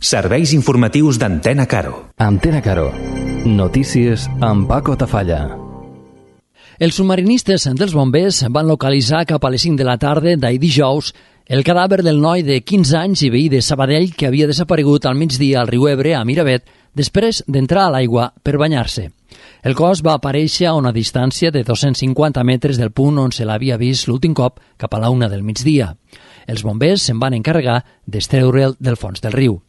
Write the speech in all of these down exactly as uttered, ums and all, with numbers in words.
Serveis informatius d'Antena Caro. Antena Caro. Notícies amb Paco Tafalla. Els submarinistes dels bombers van localitzar cap a les cinc de la tarda d'ahir dijous el cadàver del noi de quinze anys i veí de Sabadell que havia desaparegut al migdia al riu Ebre, a Miravet, després d'entrar a l'aigua per banyar-se. El cos va aparèixer a una distància de dos-cents cinquanta metres del punt on se l'havia vist l'últim cop, cap a la una del migdia. Els bombers se'n van encarregar d'extreure'l del fons del riu.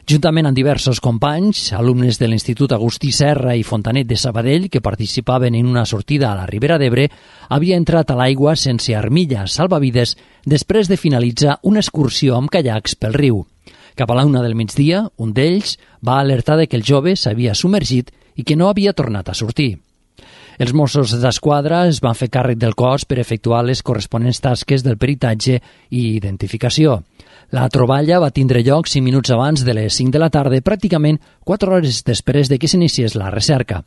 Juntament amb diversos companys, alumnes de l'Institut Agustí Serra i Fontanet de Sabadell, que participaven en una sortida a la Ribera d'Ebre, havia entrat a l'aigua sense armilla salvavides després de finalitzar una excursió amb caiacs pel riu. Cap a la una del migdia, un d'ells va alertar de que el jove s'havia submergit i que no havia tornat a sortir. Els Mossos d'Esquadra es van fer càrrec del cos per efectuar les corresponents tasques del peritatge i identificació. La troballa va tindre lloc cinc minuts abans de les cinc de la tarda, pràcticament quatre hores després de que s'iniciés la recerca.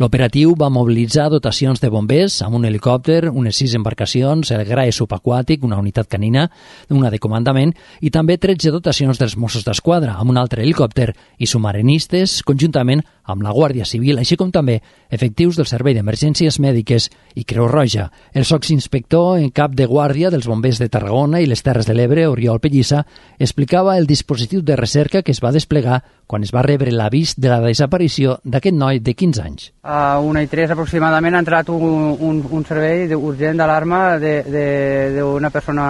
L'operatiu va mobilitzar dotacions de bombers amb un helicòpter, unes sis embarcacions, el G R A E subaquàtic, una unitat canina, una de comandament, i també tretze dotacions dels Mossos d'Esquadra, amb un altre helicòpter, i submarinistes, conjuntament amb la Guàrdia Civil, així com també efectius del Servei d'Emergències Mèdiques i Creu Roja. El sotsinspector en cap de guàrdia dels bombers de Tarragona i les Terres de l'Ebre, Oriol Pellissa, explicava el dispositiu de recerca que es va desplegar quan es va rebre l'avís de la desaparició d'aquest noi de quinze anys. A una i tres aproximadament ha entrat un, un, un servei urgent d'alarma d'una persona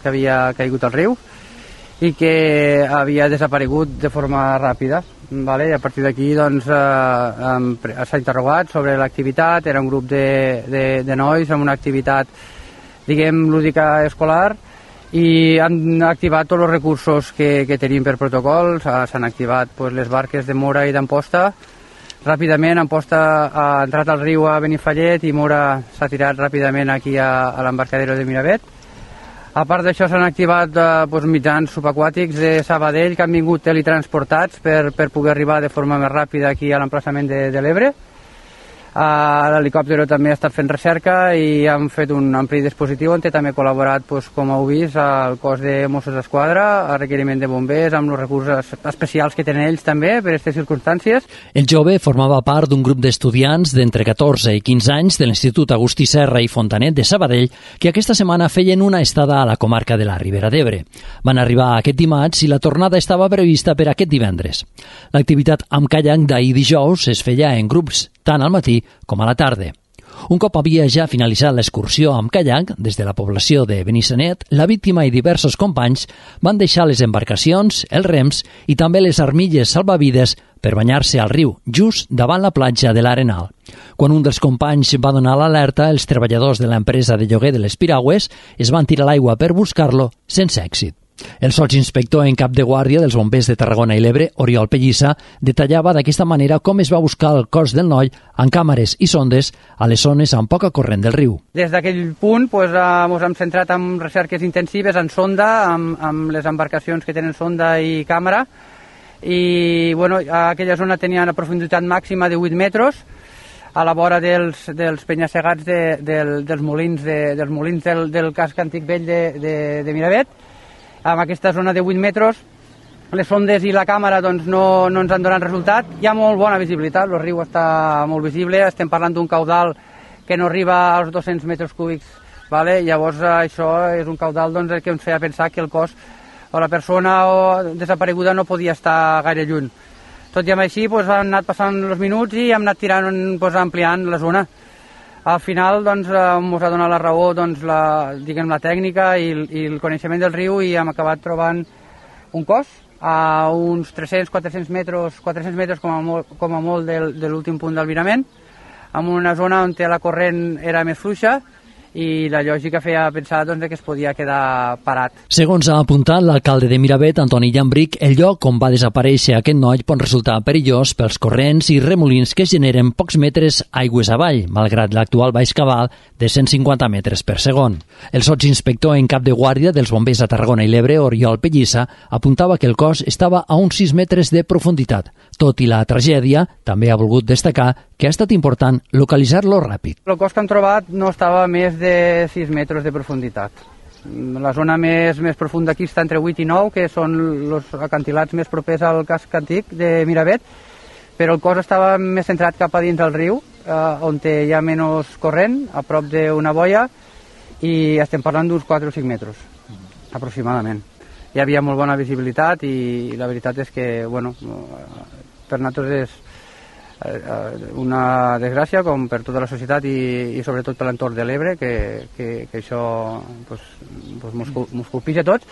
que havia caigut al riu i que havia desaparegut de forma ràpida. Vale? I a partir d'aquí doncs, eh, s'ha interrogat sobre l'activitat. Era un grup de, de, de nois amb una activitat, diguem, lúdica escolar, i han activat tots els recursos que, que tenim per protocol. S'han activat pues, les barques de Mora i d'Amposta. Ràpidament Amposta ha entrat al riu a Benifallet i Mora s'ha tirat ràpidament aquí a, a l'embarcadero de Miravet. A part d'això s'han activat eh, doncs, mitjans subaquàtics de Sabadell que han vingut teletransportats per, per poder arribar de forma més ràpida aquí a l'emplaçament de, de l'Ebre. Uh, L'helicòpter també ha estat fent recerca i han fet un ampli dispositiu on també ha col·laborat, doncs, com heu vist, el cos de Mossos d'Esquadra, a requeriment de bombers, amb els recursos especials que tenen ells també per aquestes circumstàncies. El jove formava part d'un grup d'estudiants d'entre catorze i quinze anys de l'Institut Agustí Serra i Fontanet de Sabadell que aquesta setmana feien una estada a la comarca de la Ribera d'Ebre. Van arribar aquest dimarts i la tornada estava prevista per aquest divendres. L'activitat amb caiac d'ahir dijous es feia en grups, tant al matí com a la tarda. Un cop havia ja finalitzat l'excursió amb caiac, des de la població de Benissanet, la víctima i diversos companys van deixar les embarcacions, els rems i també les armilles salvavides per banyar-se al riu, just davant la platja de l'Arenal. Quan un dels companys va donar l'alerta, els treballadors de l'empresa de lloguer de les piragües es van tirar a l'aigua per buscar-lo sense èxit. El sotsinspector en cap de guàrdia dels bombers de Tarragona i l'Ebre, Oriol Pellissa, detallava d'aquesta manera com es va buscar el cos del noi amb càmeres i sondes a les zones amb poca corrent del riu. Des d'aquell punt pues, ens hem centrat en recerques intensives en sonda, amb, amb les embarcacions que tenen sonda i càmera, i bueno, aquella zona tenia una profunditat màxima de vuit metres, a la vora dels, dels penya-segats de, del, dels molins, de, dels molins del, del casc antic vell de, de, de Miravet. En aquesta zona de vuit metres, les sondes i la càmera doncs, no, no ens han donat resultat. Hi ha molt bona visibilitat, el riu està molt visible, estem parlant d'un caudal que no arriba als dos-cents metres cúbics. Vale? Llavors això és un caudal doncs, que ens feia pensar que el cos o la persona o desapareguda no podia estar gaire lluny. Tot i amb així doncs, han anat passant els minuts i hem anat tirant, doncs, ampliant la zona. Al final doncs, ens ha donat la raó doncs, la, diguem, la tècnica i, i el coneixement del riu i hem acabat trobant un cos a uns tres-cents a quatre-cents metres, quatre-cents metres com a molt, com a molt del, de l'últim punt del virament, en una zona on la corrent era més fluixa i la lògica feia pensar doncs, que es podia quedar parat. Segons ha apuntat l'alcalde de Miravet, Antoni Llambric, el lloc on va desaparèixer aquest noi pot resultar perillós pels corrents i remolins que es generen pocs metres aigües avall, malgrat l'actual baix cabal de cent cinquanta metres per segon. El sotsinspector en cap de guàrdia dels bombers de Tarragona i l'Ebre, Oriol Pellissa, apuntava que el cos estava a uns sis metres de profunditat. Tot i la tragèdia, també ha volgut destacar que ha estat important localitzar-lo ràpid. El cos que hem trobat no estava a més de sis metres de profunditat. La zona més, més profunda aquí està entre vuit i nou, que són els acantilats més propers al casc antic de Miravet, però el cos estava més centrat cap a dins del riu, eh, on hi ha menys corrent, a prop d'una boia, i estem parlant d'uns quatre o cinc metres, aproximadament. Hi havia molt bona visibilitat i la veritat és que, bueno, per nosaltres és una desgràcia, com per tota la societat i, i sobretot per l'entorn de l'Ebre, que, que, que això pues, pues mos colpija a tots,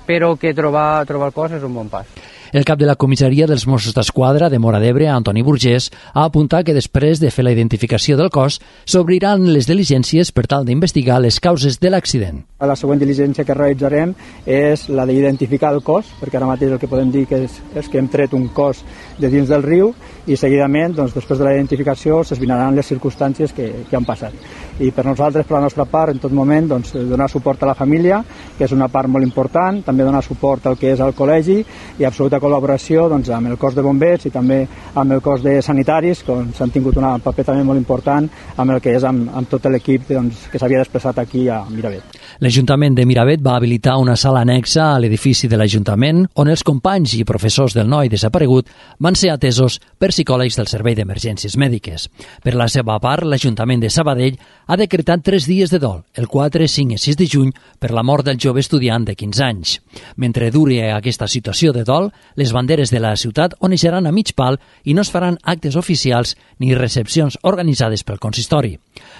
però que trobar, trobar el cos és un bon pas. El cap de la comissaria dels Mossos d'Esquadra de Móra d'Ebre, Antoni Burgés, ha apuntat que després de fer la identificació del cos s'obriran les diligències per tal d'investigar les causes de l'accident. La següent diligència que realitzarem és la d'identificar el cos, perquè ara mateix el que podem dir que és, és que hem tret un cos de dins del riu i seguidament, doncs, després de la identificació, s'esbrinaran les circumstàncies que, que han passat. I per nosaltres, per la nostra part, en tot moment, doncs, donar suport a la família, que és una part molt important, també donar suport al que és el col·legi i absoluta col·laboració doncs, amb el cos de bombers i també amb el cos de sanitaris, que s'han tingut un paper també molt important amb el que és amb, amb tot l'equip doncs, que s'havia desplaçat aquí a Miravet. L'Ajuntament de Miravet va habilitar una sala anexa a l'edifici de l'Ajuntament on els companys i professors del noi desaparegut van ser atesos per psicòlegs del Servei d'Emergències Mèdiques. Per la seva part, l'Ajuntament de Sabadell ha decretat tres dies de dol, el quatre, cinc i sis de juny, per la mort del jove estudiant de quinze anys. Mentre duri aquesta situació de dol, les banderes de la ciutat oneixeran a mig pal i no es faran actes oficials ni recepcions organitzades pel consistori.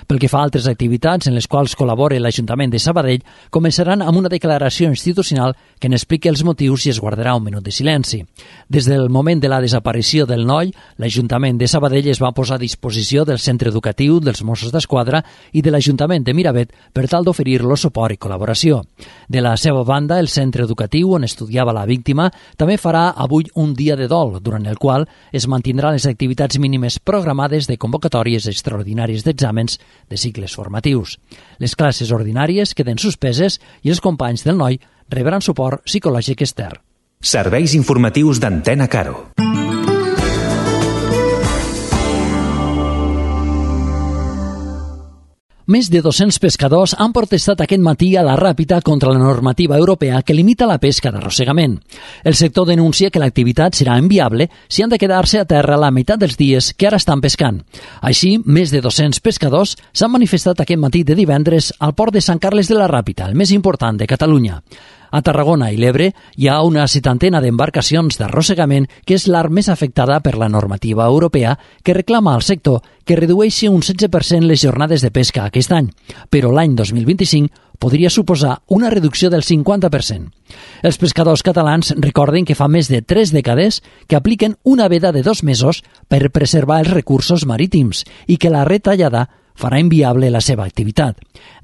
Pel que fa a altres activitats en les quals col·labora l'Ajuntament de Sabadell, començaran amb una declaració institucional que n'expliqui els motius i es guardarà un minut de silenci. Des del moment de la desaparició del noi, l'Ajuntament de Sabadell es va posar a disposició del centre educatiu dels Mossos d'Esquadra i de l'Ajuntament de Miravet per tal d'oferir-lo suport i col·laboració. De la seva banda, el centre educatiu on estudiava la víctima també farà avui un dia de dol, durant el qual es mantindran les activitats mínimes programades de convocatòries extraordinàries d'exàmens de cicles formatius. Les classes ordinàries queden suspeses i els companys del noi rebran suport psicològic extern. Serveis informatius d'Antena Caro. Més de dos-cents pescadors han protestat aquest matí a la Ràpita contra la normativa europea que limita la pesca d'arrossegament. El sector denuncia que l'activitat serà inviable si han de quedar-se a terra la meitat dels dies que ara estan pescant. Així, més de dos-cents pescadors s'han manifestat aquest matí de divendres al port de Sant Carles de la Ràpita, el més important de Catalunya. A Tarragona i l'Ebre hi ha una setantena d'embarcacions d'arrossegament que és l'art més afectada per la normativa europea que reclama al sector que redueixi un setze per cent les jornades de pesca aquest any, però l'any dos mil vint-i-cinc podria suposar una reducció del cinquanta per cent. Els pescadors catalans recorden que fa més de tres dècades que apliquen una veda de dos mesos per preservar els recursos marítims i que la retallada farà inviable la seva activitat.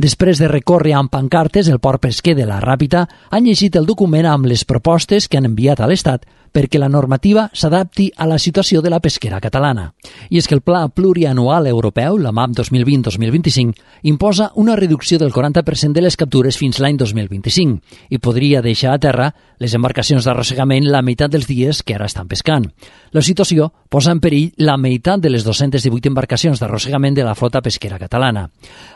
Després de recórrer amb pancartes, el port pesquer de la Ràpita han llegit el document amb les propostes que han enviat a l'Estat perquè la normativa s'adapti a la situació de la pesquera catalana. I és que el Pla Plurianual Europeu, la MAP dos mil vint dos mil vint-i-cinc, imposa una reducció del quaranta per cent de les captures fins l'any dos mil vint-i-cinc i podria deixar a terra les embarcacions d'arrossegament la meitat dels dies que ara estan pescant. La situació posa en perill la meitat de les dues-centes divuit embarcacions d'arrossegament de la flota pesquera catalana.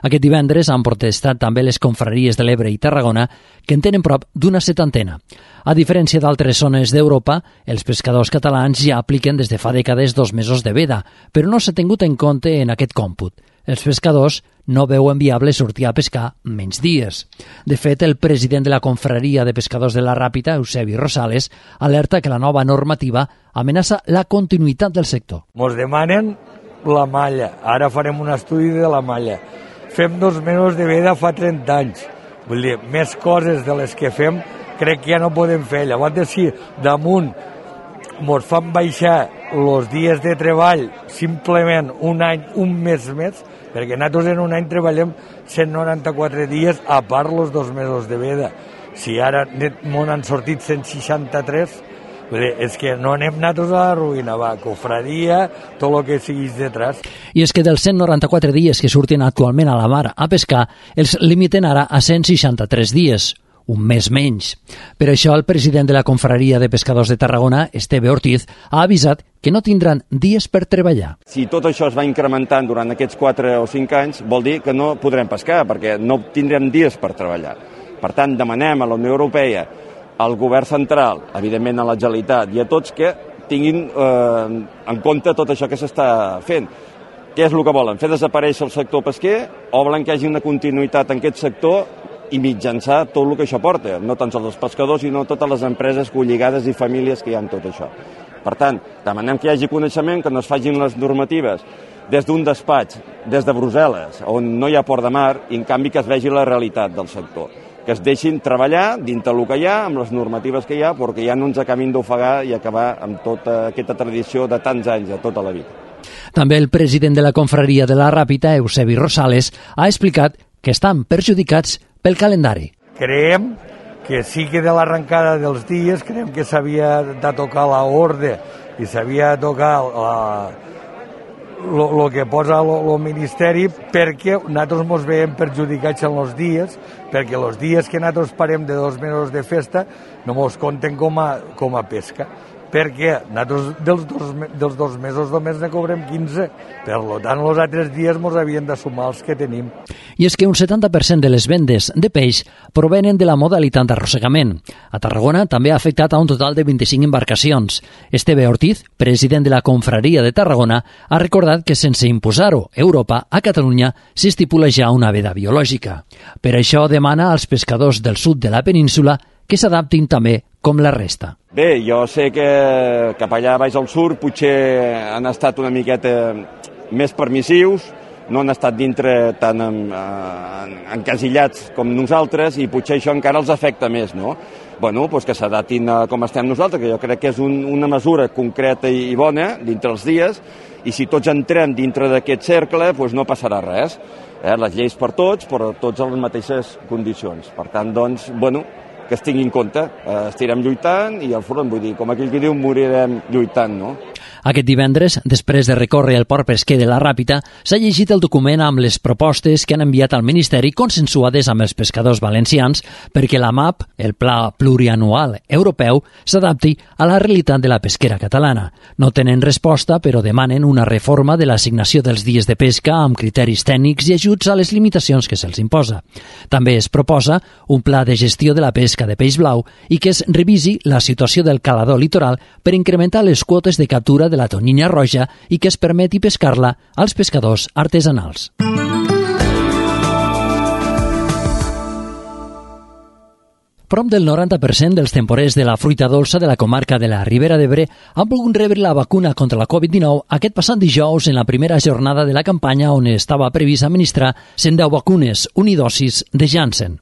Aquest divendres han protestat també les confraries de l'Ebre i Tarragona, que en tenen prop d'una setantena. A diferència d'altres zones d'Europa, els pescadors catalans ja apliquen des de fa dècades dos mesos de veda, però no s'ha tingut en compte en aquest còmput. Els pescadors no veuen viable sortir a pescar menys dies. De fet, el president de la confraria de pescadors de la Ràpita, Eusebi Rosales, alerta que la nova normativa amenaça la continuïtat del sector. Mos demanen la malla, ara farem un estudi de la malla. Fem dos mesos de veda fa trenta anys. Vull dir, més coses de les que fem crec que ja no podem fer. Llavors, si damunt mos fan baixar els dies de treball simplement un any, un mes més, perquè nosaltres en un any treballem cent noranta-quatre dies a part els dos mesos de veda. Si ara m'on han sortit cent seixanta-tres, és que no anem nosaltres a la ruïna, va, cofradia, tot el que siguis detrás. I és que dels cent noranta-quatre dies que surten actualment a la mar a pescar, els limiten ara a cent seixanta-tres dies, un mes menys. Per això el president de la confraria de pescadors de Tarragona, Esteve Ortiz, ha avisat que no tindran dies per treballar. Si tot això es va incrementant durant aquests quatre o cinc anys, vol dir que no podrem pescar, perquè no tindrem dies per treballar. Per tant, demanem a la Unió Europea, al govern central, evidentment a la Generalitat i a tots que tinguin eh, en compte tot això que s'està fent. Què és el que volen? Fer desaparèixer el sector pesquer o volen que hi hagi una continuïtat en aquest sector i mitjançar tot el que això porta? No tan sols els pescadors, sinó totes les empreses colligades i famílies que hi ha en tot això. Per tant, demanem que hi hagi coneixement, que no es facin les normatives des d'un despatx, des de Brussel·les, on no hi ha port de mar, i en canvi que es vegi la realitat del sector. Que es deixin treballar dintre el que hi ha, amb les normatives que hi ha, perquè ja no ens acabin d'ofegar i acabar amb tota aquesta tradició de tants anys, de tota la vida. També el president de la confraria de la Ràpita, Eusebi Rosales, ha explicat que estan perjudicats pel calendari. Creiem que sí que de l'arrencada dels dies, creiem que s'havia de tocar l'ordre i s'havia de tocar la... el que posa el Ministeri, perquè nosaltres ens veiem perjudicats en els dies, perquè els dies que nosaltres parem de dos mesos de festa no ens compten com a, com a pesca, perquè nosaltres dels dos, dels dos mesos només ne cobrem quinze, per tant els altres dies ens havien de sumar els que tenim. I és que un setanta per cent de les vendes de peix provenen de la modalitat d'arrossegament. A Tarragona també ha afectat a un total de vint-i-cinc embarcacions. Esteve Ortiz, president de la Confraria de Tarragona, ha recordat que sense imposar-ho Europa, a Catalunya s'estipula ja una veda biològica. Per això demana als pescadors del sud de la península que s'adaptin també com la resta. Bé, jo sé que cap allà baix al sud potser han estat una miqueta més permissius, no han estat dintre tan en, en, encasillats com nosaltres i potser això encara els afecta més, no? Bueno, doncs que s'adaptin com estem nosaltres, que jo crec que és un, una mesura concreta i bona dintre els dies, i si tots entrem dintre d'aquest cercle, doncs no passarà res. Eh? Les lleis per tots, però tots en les mateixes condicions. Per tant, doncs, bueno, que es tingui en compte. Eh, estirem lluitant i al front, vull dir, com aquell que diu, morirem lluitant, no? Aquest divendres, després de recórrer el port pesquer de la Ràpita, s'ha llegit el document amb les propostes que han enviat al Ministeri consensuades amb els pescadors valencians perquè la M A P, el Pla Plurianual Europeu, s'adapti a la realitat de la pesquera catalana. No tenen resposta, però demanen una reforma de l'assignació dels dies de pesca amb criteris tècnics i ajuts a les limitacions que se'ls imposa. També es proposa un pla de gestió de la pesca de peix blau i que es revisi la situació del calador litoral per incrementar les quotes de captura de la tonyina roja i que es permeti pescar-la als pescadors artesanals. Prop del noranta per cent dels temporers de la fruita dolça de la comarca de la Ribera d'Ebre han volgut rebre la vacuna contra la covid dinou aquest passat dijous en la primera jornada de la campanya on estava previst administrar cent deu vacunes unidosis de Janssen.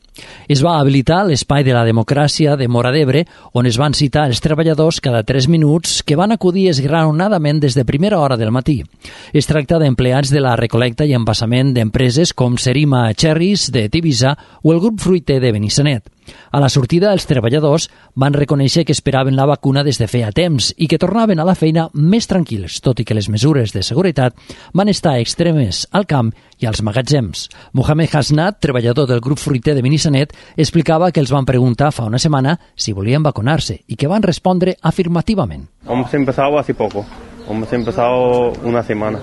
Es va habilitar l'espai de la democràcia de Móra d'Ebre, on es van citar els treballadors cada tres minuts que van acudir esglaonadament des de primera hora del matí. Es tracta d'empleats de la recolecta i envasament d'empreses com Serima Cherries de Tivisa o el grup fruiter de Benissanet. A la sortida, els treballadors van reconèixer que esperaven la vacuna des de feia temps i que tornaven a la feina més tranquils, tot i que les mesures de seguretat van estar extremes al camp i als magatzems. Mohamed Hasnat, treballador del grup fruiter de Benissanet, explicava que els van preguntar fa una setmana si volien vacunar-se i que van respondre afirmativament. Hemos empezado hace poco, hemos empezado una semana.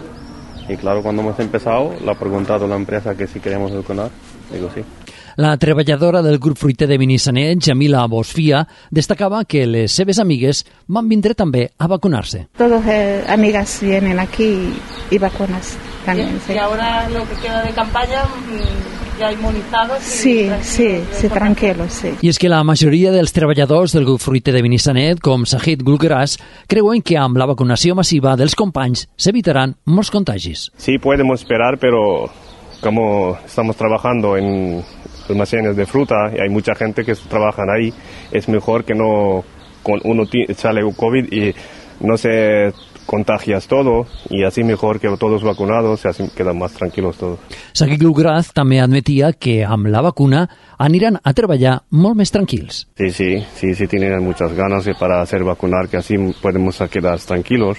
Y claro, cuando hemos empezado, le ha preguntado a la empresa que si queremos vacunar, digo sí. La treballadora del grup fruiter de Benissanet, Jamila Bosfia, destacava que les seves amigues van vindre també a vacunar-se. Todas eh, amigas vienen aquí y vacunas también. Y, sí. y ahora lo que queda de campaña, ya inmunizados. Sí, sí, sí, tranquilos, sí. I és que la majoria dels treballadors del grup fruiter de Benissanet, com Sahid Gulgras, creuen que amb la vacunació massiva dels companys s'evitaran molts contagis. Sí, podemos esperar, pero como estamos trabajando en almacenes de fruta y hay mucha gente que trabaja ahí, es mejor que no con uno sale COVID y no se contagias todo, y así mejor que todos vacunados y así quedan más tranquilos todos. Saki Glugraz també admetia que amb la vacuna aniran a treballar molt més tranquils. Sí, sí, sí, sí tienen muchas ganas para hacer vacunar, que así podemos quedar tranquilos.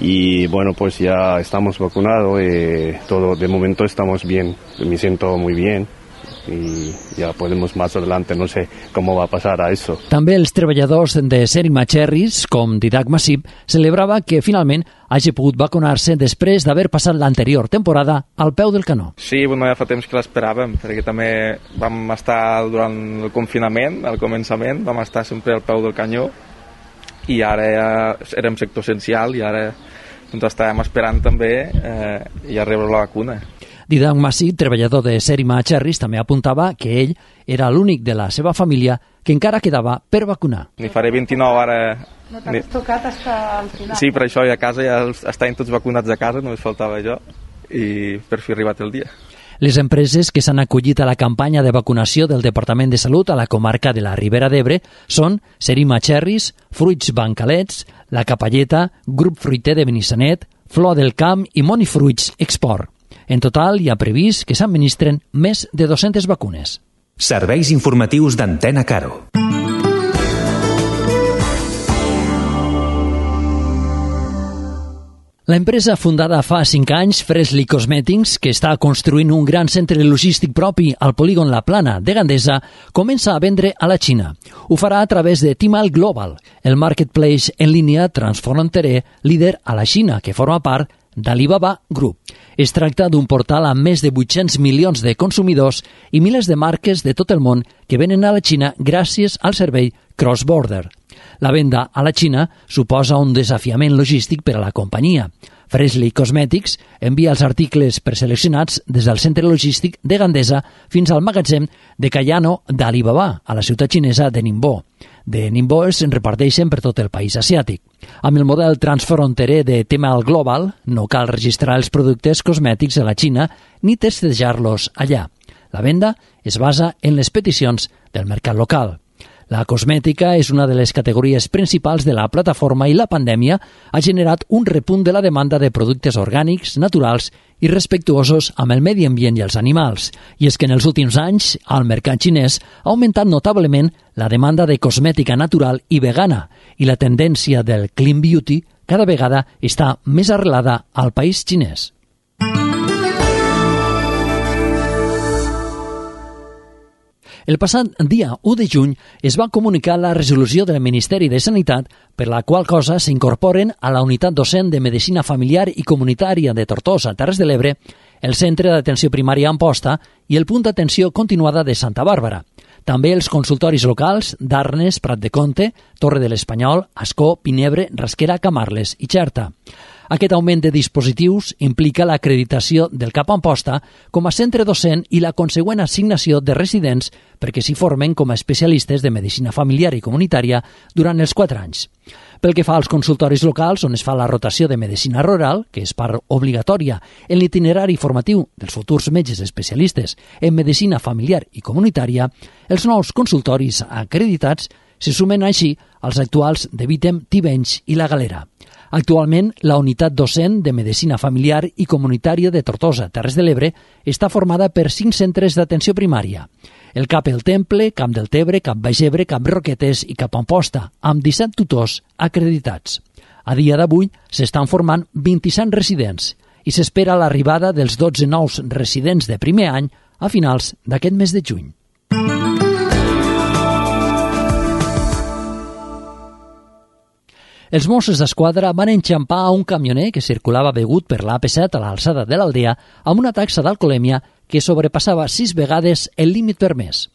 Y bueno, pues ya estamos vacunados y todo, de momento estamos bien, me siento muy bien. y ya podemos más adelante, no sé cómo va a pasar a eso. També els treballadors de Serima Cherries, com Didac Massip, celebrava que finalment hagi pogut vacunar-se després d'haver passat l'anterior temporada al peu del canó. Sí, bueno, ja fa temps que l'esperàvem, perquè també vam estar durant el confinament, al començament, vam estar sempre al peu del canyó, i ara ja érem sector essencial, i ara doncs, estàvem esperant també eh, ja rebre la vacuna. Didac Massip, treballador de Serima Cherries, també apuntava que ell era l'únic de la seva família que encara quedava per vacunar. N'hi faré vint-i-nou ara. No t'has tocat fins al final. Sí, per això ja a casa ja estaven tots vacunats a casa, només faltava jo, i per fi ha arribat el dia. Les empreses que s'han acollit a la campanya de vacunació del Departament de Salut a la comarca de la Ribera d'Ebre són Serima Cherries, Fruits Bancalets, La Capelleta, Grup Fruiter de Benissanet, Flor del Camp i Monifruits Export. En total, hi ha previst que s'administren més de dues-centes vacunes. Serveis informatius d'Antena Caro. La empresa fundada fa cinc anys, Freshly Cosmetics, que està construint un gran centre logístic propi al polígon La Plana de Gandesa, comença a vendre a la Xina. Ho farà a través de Tmall Global, el marketplace en línia transfronterer líder a la Xina, que forma part d'Alibaba Group. Es tracta d'un portal amb més de vuit-cents milions de consumidors i milers de marques de tot el món que venen a la Xina gràcies al servei cross-border. La venda a la Xina suposa un desafiament logístic per a la companyia. Freshly Cosmetics envia els articles preseleccionats des del centre logístic de Gandesa fins al magatzem de Cayano d'Alibaba, a la ciutat xinesa de Ningbo. De Ningbo es reparteixen per tot el país asiàtic. Amb el model transfronterer de Tmall Global, no cal registrar els productes cosmètics a la Xina ni testejar-los allà. La venda es basa en les peticions del mercat local. La cosmètica és una de les categories principals de la plataforma i la pandèmia ha generat un repunt de la demanda de productes orgànics, naturals i respectuosos amb el medi ambient i els animals. I és que en els últims anys, al mercat xinès ha augmentat notablement la demanda de cosmètica natural i vegana i la tendència del clean beauty cada vegada està més arrelada al país xinès. El passat dia u de juny es va comunicar la resolució del Ministeri de Sanitat per la qual cosa s'incorporen a la unitat docent de Medicina Familiar i Comunitària de Tortosa, Terres de l'Ebre, el Centre d'Atenció Primària Amposta i el Punt d'Atenció Continuada de Santa Bàrbara. També els consultoris locals d'Arnes, Prat de Comte, Torre de l'Espanyol, Ascó, Pinebre, Rasquera, Camarles i Xerta. Aquest augment de dispositius implica l'acreditació del C A P Amposta com a centre docent i la consegüent assignació de residents perquè s'hi formen com a especialistes de medicina familiar i comunitària durant els quatre anys. Pel que fa als consultoris locals, on es fa la rotació de medicina rural, que és part obligatòria en l'itinerari formatiu dels futurs metges especialistes en medicina familiar i comunitària, els nous consultoris acreditats se sumen així als actuals de Vítem, Tivenys i La Galera. Actualment, la unitat docent de Medicina Familiar i Comunitària de Tortosa, Terres de l'Ebre, està formada per cinc centres d'atenció primària. El C A P El Temple, Camp del Tebre, Cap Baix Ebre, Cap Roquetes i Cap Amposta, amb disset tutors acreditats. A dia d'avui s'estan formant vint-i-set residents i s'espera l'arribada dels dotze nous residents de primer any a finals d'aquest mes de juny. Els Mossos d'Esquadra van enxampar un camioner que circulava begut per l'A P set a l'alçada de l'Aldea amb una taxa d'alcoholèmia que sobrepassava sis vegades el límit permès.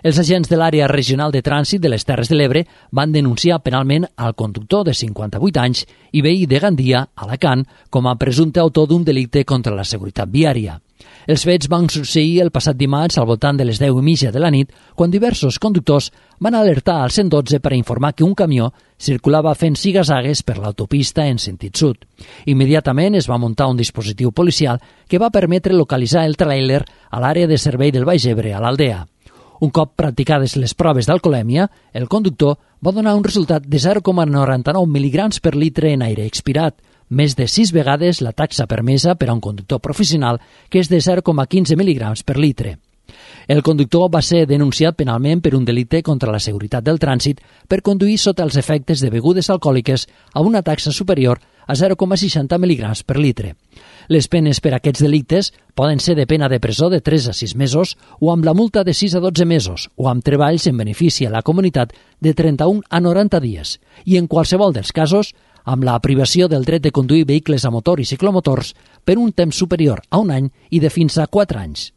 Els agents de l'àrea regional de trànsit de les Terres de l'Ebre van denunciar penalment al conductor de cinquanta-vuit anys i veí de Gandia, Alacant, com a presumpte autor d'un delicte contra la seguretat viària. Els fets van succeir el passat dimarts al voltant de les deu i mitja de la nit, quan diversos conductors van alertar al cent dotze per a informar que un camió circulava fent zigazagues per l'autopista en sentit sud. Immediatament es va muntar un dispositiu policial que va permetre localitzar el tràiler a l'àrea de servei del Baix Ebre, a l'Aldea. Un cop practicades les proves d'alcoholèmia, el conductor va donar un resultat de zero coma noranta-nou mil·ligrams per litre en aire expirat, més de sis vegades la taxa permesa per a un conductor professional, que és de zero coma quinze mil·ligrams per litre. El conductor va ser denunciat penalment per un delicte contra la seguretat del trànsit per conduir sota els efectes de begudes alcohòliques a una taxa superior a zero coma seixanta mil·ligrams per litre. Les penes per a aquests delictes poden ser de pena de presó de tres a sis mesos o amb la multa de sis a dotze mesos o amb treballs en benefici a la comunitat de trenta-un a noranta dies i, en qualsevol dels casos, amb la privació del dret de conduir vehicles a motor i ciclomotors per un temps superior a un any i de fins a quatre anys.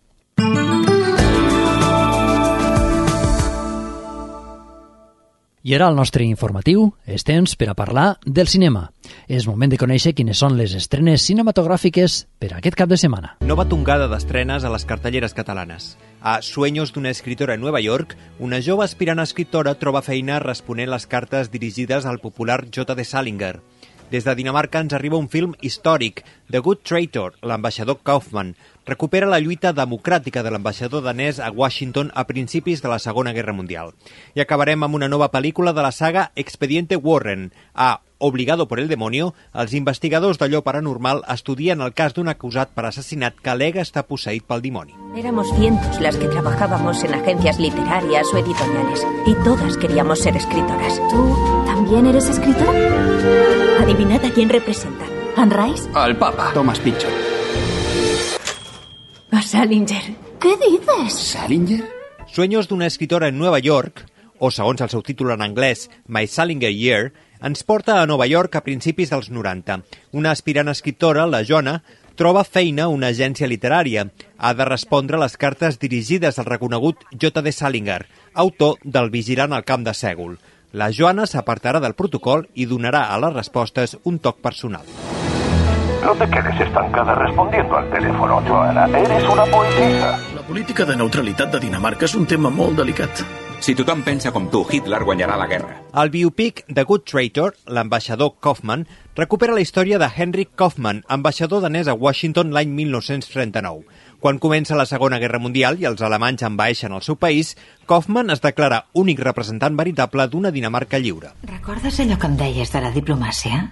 I ara el nostre informatiu és temps per a parlar del cinema. És moment de conèixer quines són les estrenes cinematogràfiques per a aquest cap de setmana. Nova tongada d'estrenes a les cartelleres catalanes. A Sueños d'una escritora en Nova York, una jove aspirant escriptora troba feina responent les cartes dirigides al popular J D Salinger. Des de Dinamarca ens arriba un film històric, The Good Traitor, l'ambaixador Kaufman. Recupera la lluita democràtica de l'ambaixador danès a Washington a principis de la Segona Guerra Mundial. I acabarem amb una nova pel·lícula de la saga Expediente Warren. A Obligado por el demonio, els investigadors d'allò paranormal estudien el cas d'un acusat per assassinat que alega estar posseït pel dimoni. Éramos cientos las que trabajábamos en agencias literarias o editoriales y todas queríamos ser escritoras. ¿Tú también eres escritora? Adivinad a quién representa. ¿Anne Rice? Al Papa. Thomas Pynchon. A Salinger. ¿Qué dices? ¿Salinger? Sueños d'una escritora en Nova York, o segons el seu títol en anglès, My Salinger Year, ens porta a Nova York a principis dels noranta. Una aspirant escriptora, la Joanna, troba feina a una agència literària. Ha de respondre les cartes dirigides al reconegut J D Salinger, autor del Vigilant al camp de Sègol. La Joanna s'apartarà del protocol i donarà a les respostes un toc personal. No te quedes estancada respondiendo al teléfono, Joanna. Eres una poetisa. La política de neutralitat de Dinamarca és un tema molt delicat. Si tothom pensa com tu, Hitler guanyarà la guerra. El biopic The Good Traitor, l'ambaixador Kaufman, recupera la història de Henrik Kaufman, ambaixador danès a Washington l'any mil nou-cents trenta-nou. Quan comença la Segona Guerra Mundial i els alemanys envaeixen el seu país, Kaufman es declara únic representant veritable d'una Dinamarca lliure. Recordes allò que em deies de la diplomàcia?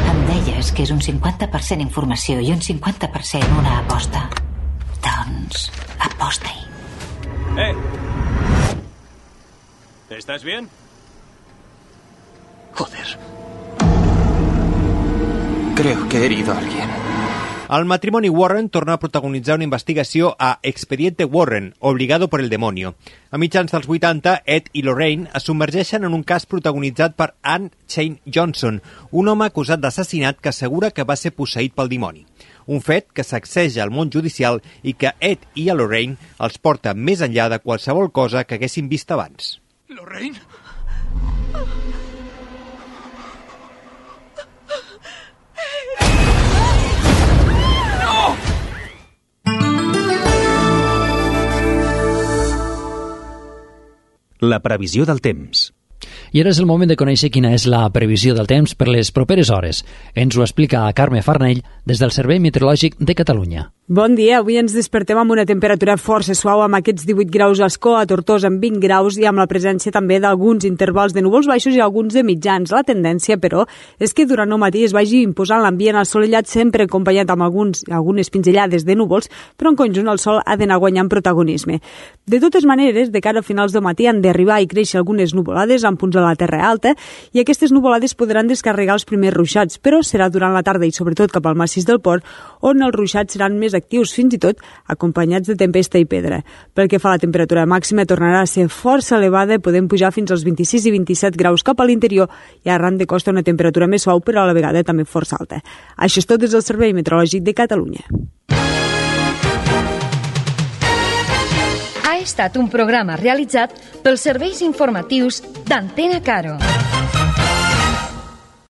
Em deies que és un cinquanta per cent informació i un cinquanta per cent una aposta. Doncs, aposta-hi. Eh! ¿Estás bien? Joder. Creo que he herido a alguien. El matrimoni Warren torna a protagonitzar una investigació a Expediente Warren, Obligado por el demonio. A mitjans dels vuitanta, Ed i Lorraine es submergeixen en un cas protagonitzat per Anne Shane Johnson, un home acusat d'assassinat que assegura que va ser posseït pel dimoni. Un fet que sacseja el món judicial i que Ed i a Lorraine els porta més enllà de qualsevol cosa que haguessin vist abans. Lorraine? La previsió del temps. I ara és el moment de conèixer quina és la previsió del temps per les properes hores. Ens ho explica Carme Farnell des del Servei Meteorològic de Catalunya. Bon dia, avui ens despertem amb una temperatura força suau, amb aquests divuit graus a Ascó, a Tortosa amb vint graus i amb la presència també d'alguns intervals de núvols baixos i alguns de mitjans. La tendència, però, és que durant el matí es vagi imposant l'ambient assolellat, sempre acompanyat amb alguns, algunes pinzellades de núvols, però en conjunt el sol ha d'anar guanyant protagonisme. De totes maneres, de cara a finals de matí han d'arribar i créixer algunes nuvolades en punts de la Terra Alta i aquestes nuvolades podran descarregar els primers ruixats, però serà durant la tarda i sobretot cap al massís del Port on els ruixats seran més actius, fins i tot acompanyats de tempesta i pedra. Pel que fa a la temperatura màxima, tornarà a ser força elevada, podem pujar fins als vint-i-sis i vint-i-set graus cap a l'interior i arran de costa una temperatura més suau, però a la vegada també força alta. Això és tot des del Servei Meteorològic de Catalunya. Ha estat un programa realitzat pels serveis informatius d'Antena Caro.